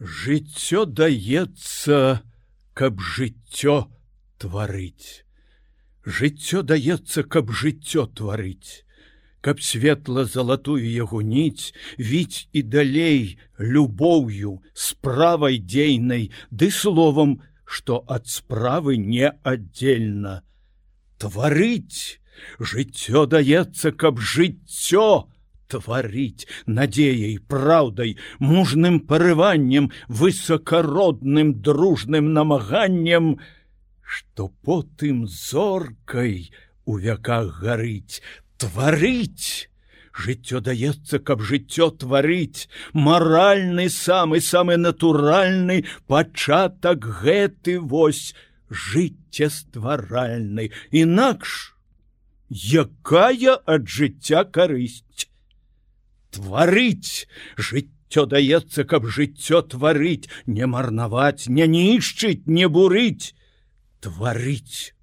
Жыццё даецца, каб жыццё тварыць. Жыццё даецца, каб жыццё тварыць, каб светла-залатую яго ніць віць і далей любоўю, справай дзейнай, ды словам, што ад справы не аддзельна. Тварыць! Жыццё даецца, каб жыццё тварыць надзеяй, праўдай, мужным парываннем, высакародным дружным намаганнем, што потым зоркай у вяках гарыць. Тварыць! Жыццё даецца, каб жыццё тварыць, маральны самы натуральны пачатак гэты вось жыццестваральны. Інакш якая ад жыцця карысць? Тварыць! Жыццё даецца, каб жыццё тварыць, не марнаваць, не нішчыць, не бурыць. Тварыць!